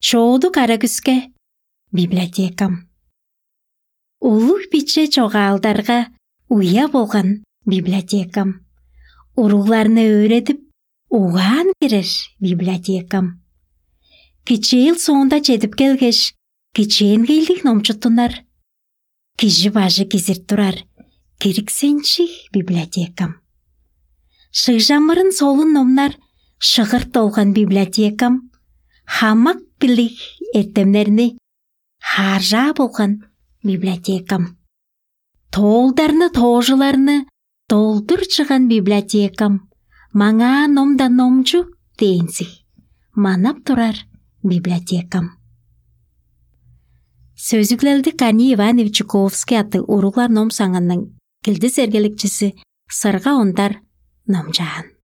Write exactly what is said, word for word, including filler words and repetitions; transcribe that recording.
Чоодуг ара күске — библиотекам. Улуг-биче чогаалдарга уя болган — библиотекам. Уругларны өөредип, угаан берер — библиотекам. Кичээл соонда чедип келгеш, кичээнгейлиг номчуттунар. Кижи бажы кизирт турар — кириксенчиг — библиотекам. Шыгжамырын солун номнар шыгырт долган — библиотекам. Хамак билиг эртемнерни хааржаа болган — библиотекам. Тоолдарны, тоожуларны долдур чыган — библиотекам. Маңаа ном-даа номчу дээнзиг манап турар — библиотекам. Сөзүглелди Корней Иванович Чуковский аттыг уруглар ном саңының килдис эргелекчизи Сырга Ондар номчаан.